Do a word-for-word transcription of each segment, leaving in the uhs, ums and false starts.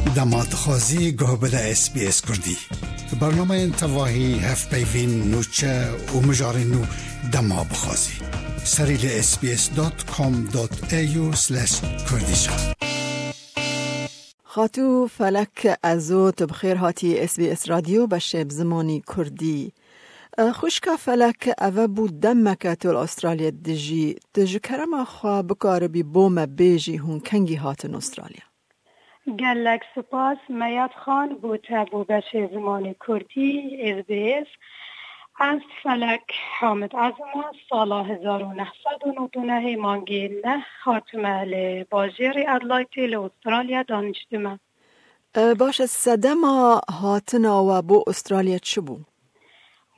Dema dixwazî guh bide S B S Kurdî. Bernameyên tevahî, hevpeyvîn, nûçe û mijarên nû dema bixwazî. Serî li S B S dot com dot A U slash Kurdish. Xatû Felek Ezo, tu bi xêr hatî S B S Radyo beşê bi zimanî Kurdî. E, xwişka Felek, eve bû demeke tu li Astralya dijî. Tu ji kerema xwe bikaribî bo me bêjî hûn kengî hatin Astralya? Gelek spas Meyad Xan bo te bo beşê zimanê Kurdî S B S. Ez Felek Hamid Ezim, sala hezar û neh sed û nod û nehê mangê neh hatime li bajêrê Adelaide li Astralya daniştime. E, baş e, sedema hatina we bo Astralya çi bû?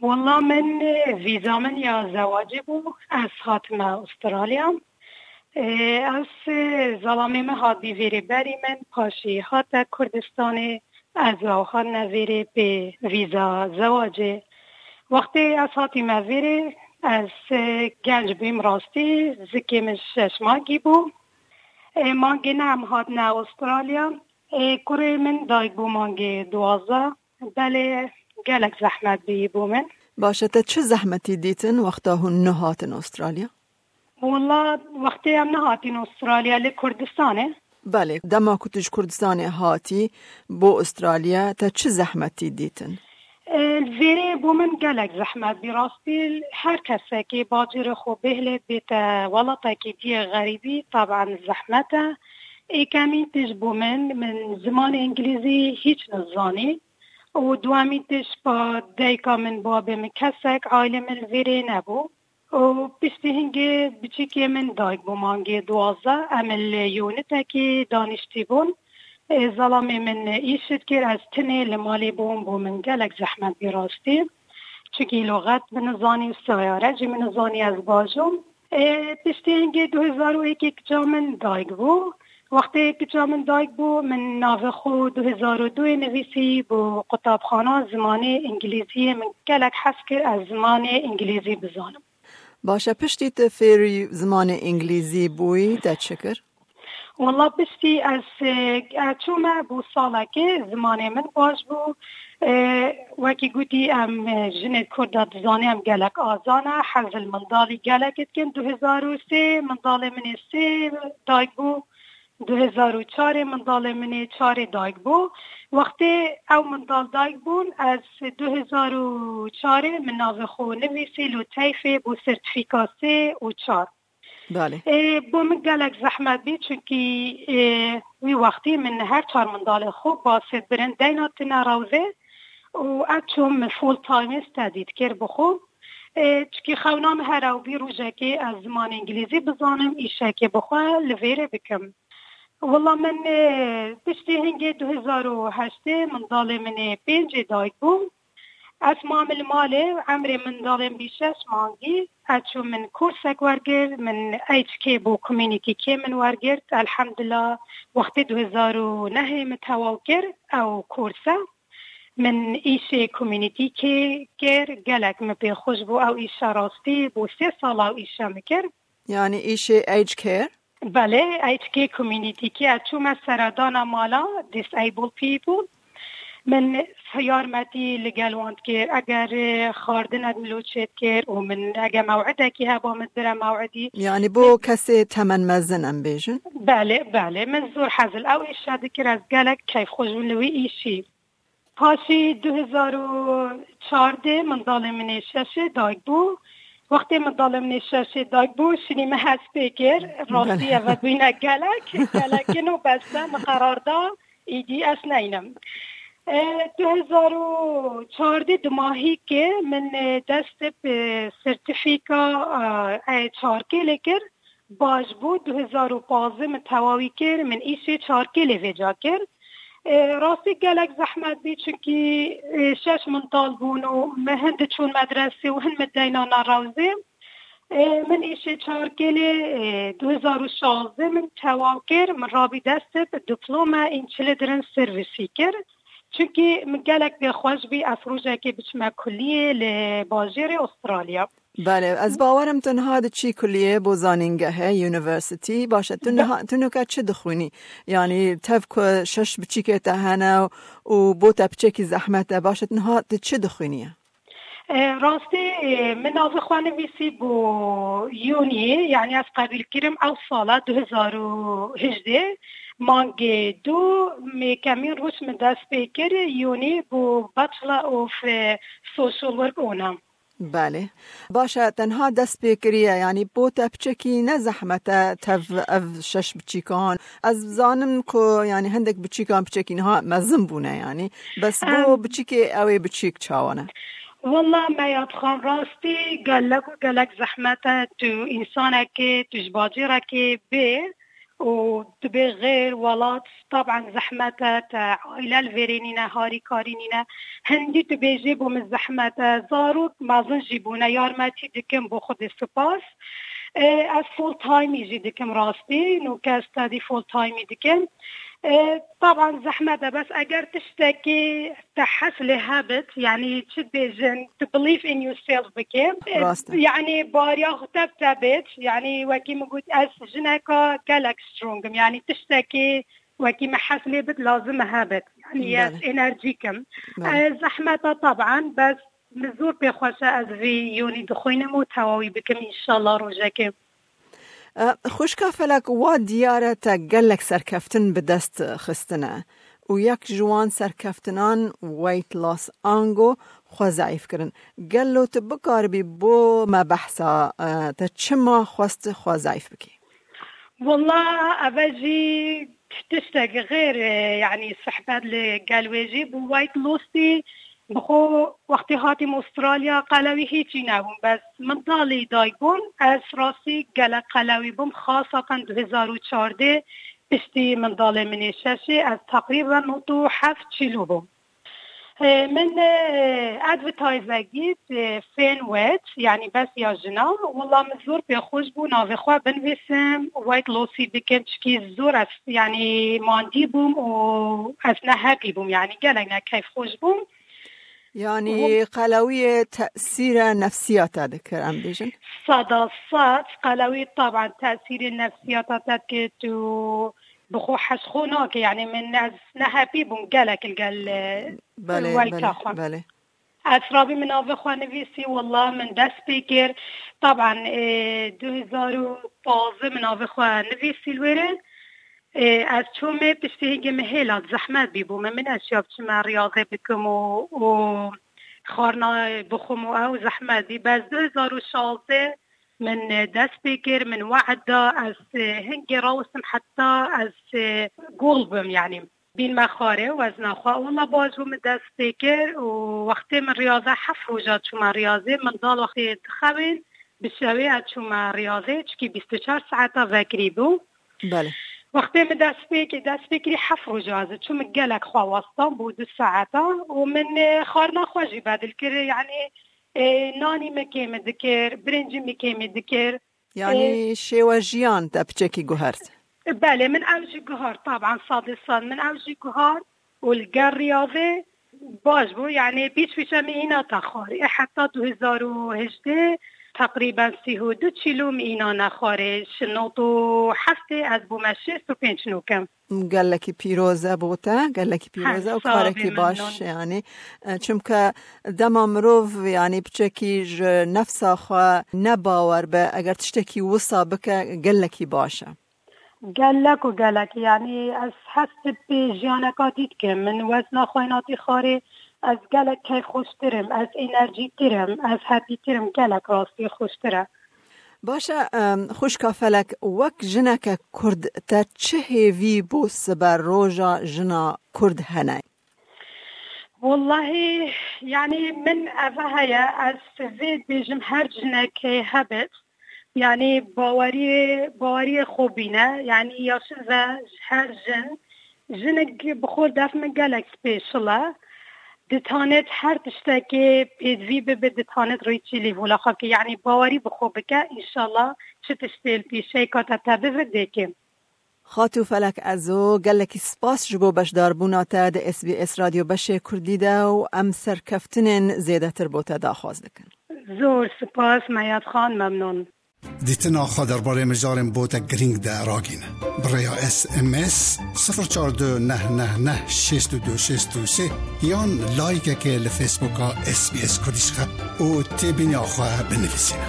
Walla min, e, vîza min ya zewacê bû. Ez hatime Astralya. E, ez, e, zelamê min hat bî vêrê berî min, paşî hate Kurdistanê. Ez û ew hatine vêrê pê vîza zewacê. Wextê ez hatîme vêrê, ez, e, genc bûm rastî, zikê min şeş mangî bû. E, mangê neh em hatine Astralya. Ê, kurê min dayik bû mangê duwazdeh. Belê, gelek zehmet bî bo min. Baş e, te çi zehmetî dîtin wexta hûn nehatin Astralya? Walla, wextê em nehatîn Astralya, li Kurdistanê. Belê, dema ku tu ji Kurdistanê hatî bo Astralya, te çi zehmetî dîtin? Ê, vêrê bo min gelek zehmet bî. Rastî, her kesekî bacêrê xwe bêhile bête welatekî diyê xerîbî, taban zehmet e. Êkemîn tişt bo min, min zimanê îngilîzî hîç nizanî. Û duwemîn tişt pa dayika min, babê min, kesek, aîlê min li vêrê nebû. Û piştî hingê biçîkê min dayik bû mangê duwazdeh. Em li yûnitekî daniştî bûn. Ê, zelamê min îş dikir, ez tinê li malê bûm, bo min gelek zehmet bî rastî. Çikî luxet min nizanî û seyare jî min nizanî ez bajom. Ê, piştî hingê du hezar û yekê kiça min dayik bû. Wextê kiça min dayik bû, min navê xwe du hezar û duyê nivîsî bo qutabxana zimanê îngilîziyê. Min gelek hez kir ez zimanê îngilîzî bizanim. Baş e, piştî tu fêrî zimanê îngilîzî bûyî, te çi kir? Walla piştî ez, e, e, çûme bo salekê, zimanê min baş bû. E, wekî gotî, em, e, jinê Kurda dizanê em gelek azan e, hez li mendalî gelek dikin. Du hezar û sê mendalê min ê sê dayik bû. Du hezar û çarê mendalê min ê çarê dayik bû. Wextê ew mendal dayik bûn, ez du hezar û çarê min navê xwe nivîsî li teyfê bo sertîfîka sê û çar. Belê. Ê, bo min gelek zehmet bî, çunkî, ê, wî wextî min her çar mendalê xwe basê birin deyna tine rewzê û ez çûm full time study dikir bi xwe. Ê, çikî xewna min her ew bî rojekê ez zimanê îngilîzî bizanim, îşekê bi xwe li vêrê bikim. Wela min, ê, piştî hingê du hezar û heştê mendalê min ê pêncê dayik bû. Ez mam li malê, emrê mendalên bî şeş mangî, ez çûm min kursek wergir, min H K bû, community K min wergirt. Elhamdulillah, wextê du hezar û nehê min tewaw kir ew kurse. Min îşê community K kir, gelek min pê xweş bû ew îşe rastî, bû sê sala ew îşe min kir. Yani îşê aged care? Belê, aged care community care. Çûme seredana mala disabled people. Min yarmetî li gel wan dikir. Eger, e, xwarinek min lo çêdikir û min eger mewidekî heba min dibire mewidî. Yani bo kesê temen mezin em bêjin? Belê, belê. Min zor hezil ew îşe dikir. Ez gelek keyf xweş bûm li wî îşî. Paşî du hezar û çardeh mendalê min ê şeşê dayik bû. Wextê mendalê min ê şeşê dayik bû, şinî min hez pê kir. Rastî, belê, eve bûyne gelek, gelek kin û bes e, min qerar da, îdî ez neynim. E, du hezar û çardeh dimahî ke min, e, dest bi sertîfîka, e, e, çarkê lê kir. Baş bû, du hezar û pazdeh min tewawî kir, min îşê çarkê lê vêca kir. E, rastî gelek zehmet bî, çunkî, e, şeş mendal bûn û me hin diçûn medresê û hin min deyna na rewzê. E, min îşê çarkê lê, e, du hezar û şazdeh min tewaw kir, min rabî dest bi diplome in children servicî kir. Çunkî min gelek pê xweş bî, ez rojekê biçime kulliyê li bajêrê Astralya. Belê, ez bawerim tu niha diçî kuliyê bo zanîngehê, university. Baş e, tu niha, tu nuke çi dixwînî? Yanî tev ku şeş biçîkê te hene û bo te piçekî zehmet e, baş e, tu niha tu çi dixwîniye? E, rastî, e, min navê xwe nivîsî bo Yûniyê, yanî ez qebîl kirim ew sala du hezar û hejdeh, mangê du, me kemîn roj min dest pê kir, Yûnî bo Bachelor of, e, Social Work ona. Belê. Baş e, tenha dest pê kiriye, yanî bo te piçekî ne zehmet e tev ev şeş biçîkan. Ez zanim ku, yanî, hindek biçîkan piçekî niha mezin bûne, yanî. Bes bo Em. biçîkê ew ê biçîk çawa ne? Walla Meyad Xan, rastî gelek û gelek zehmet e tu însanekê, tu ji bacêrekê bê û tu bê xêr welat, taban zehmet e, te aîle li vêrê nîne, harîkarî nîne. Hindî tu bêjê bo min zehmet e, zarok mezin jî bûne, yarmetî dikim bo Xwedê spas. E, ez full time jî dikim rastî, nûke ez study full time dikim. E, taban zehmet e, bes eger tiştekî te hez lê hebit, yanî çi dibêjin, tu believe in yourself bike. E, Rast e. Yanî bariya xwe tev te bêt, yanî wekî min got, ez jineka gelek strong im, yanî tiştekî wekî min hez lê bit, lazim e hebit. Yanî ez Belê. enerjîk im. Belê. E, zehmet e taban, bes min zor pê xweş e, ez vî Yûnî dixwînim û tewawî bikim, înşallah rojekê. E, xwişka Felek, wa diyar e te gelek serkeftin bi dest xistine û yek ji wan serkeftinan weight loss ango xwe zeîf kirin. Gelo tu bikaribî bo me behsa, e, te çima xwest xwe zeîf bikî? Walla eve jî tiştek xêr, e, yanî sehbet li gel wê jî bû weight lossî. Bi xwe wextê hatîm Australya qelewî hîçî nebûm. Bes min dalî dayik bûm, ez rastî gelek qelewî bûm. Xasatan du hezar û çardeh piştî min dalê min ê şeşê ez teqrîben nod û heft kîlo bûm. E, min, e, advertise dît, e, Fên Wet, yanî bes ya jina. Wela min zor pê xweş bû, navê xwe binivîsim, weight lossî dikim, çikî zor ez, yanî mandî bûm û ez ne happy bûm, yanî gelek ne keyf xweş bûm. Yanî Hûn- qelewiyê tesîre nefsiya te dikir, em bêjin? Sada sed qelewî taban tesîrê nefsiya te dikir, tu bi xwe hez xwe nake, yanî min ez ne happy bûm gelek li gel, e, Belê, wayta belê, xwe. belê. Esrabî min navê xwe nivîsî, wela min dest pê kir. Taban, e, du hezar û pazdeh min navê xwe nivîsî li wêrê. E, ez çûme piştî hingê min hêla zehmet bî bo min. Min neşiya biçime riyazê bikim û, û xwarina bixwim û ew zehmet bî. Bes du hezar û şazdeh min, e, dest pê kir, min we'd da, ez, e, hingê rawestim heta ez, e, gol bim, yanî. Bînme xwarê û ez naxwe wela baş bû min dest pê kir û wextê min riyaze heft roja çûme riyazê, min dal wextê dixewin, bi şevê ez çûme riyazê, çikî bîst û çar saeta vekirî bû. Belê. Wextê min dest pê kir, dest pê kirî heft roja ez çû, min gelek xwe westan bû du saeta û min, e, xwarina xwe jî bedil kir, yanî, e, nanî min kêm dikir, birincî min kêm dikir. Yanî Ê, şêwe jiyan te piçekî guhert? Belê, min ew jî guhart, taban, sadê sad min ew jî guhart û li gel riyazê baş bû, yanî pîç pîçe min îna te xwarê. Ê, heta du hezar û hejdeh teqrîben sî û du kîlo min îna nexwarê. Ji nod û heftê ez bûme şêst û pênc nûkim. Gelekî pîroz e bo te, gelekî pîroz e û Heh, sağ ol, karekî baş, memnun. Yanî, e, çimke dema mirov, yanî, piçekî ji nefsa xwe ne bawer be, eger tiştekî wisa bike, gelekî baş e. Gelek û gelek, yanî, ez hest bi jiyaneka dî dikim. Min wezna xwe natî xwarê, ez gelek keyfxweştir im, ez enerjîtir im, ez happytir im, gelek rastî xweştir e. Baş e, em, xwişka Felek, wek jineke Kurd te çi hêvî bo siber roja jina Kurd hene? Wallahî, yanî min eve heye, ez vê dibêjim her jinekê hebit, yanî baweriyê, baweriyê xwe bîne, yanî yaşin ve her jin, jinik bi xwe def min gelek special e. Ditanet her tiştekê pêdivî bibe, ditanet rêçî lêvola xwe bike. Yanî bawerî bi xwe bike, înşallah çi tiştê li pêşeyê ka te te bibe dêke. Xatû Felek Ezo, gelekî spas ji bo beşdarbûna te di S B S Radyo Beşê Kurdî de û em serkeftinên zêdetir bo te daxwaz dikin. Zor spas Meyad Xan, memnun. Dîtina xwe derbarê mijarên botek girîng de ragîne. Bi rêya S M S sifir çar du neh neh neh şêst û du şêst û sê yan layikekê li Facebooka S B S Kurdish xe û têbîniya xwe binivîsîne.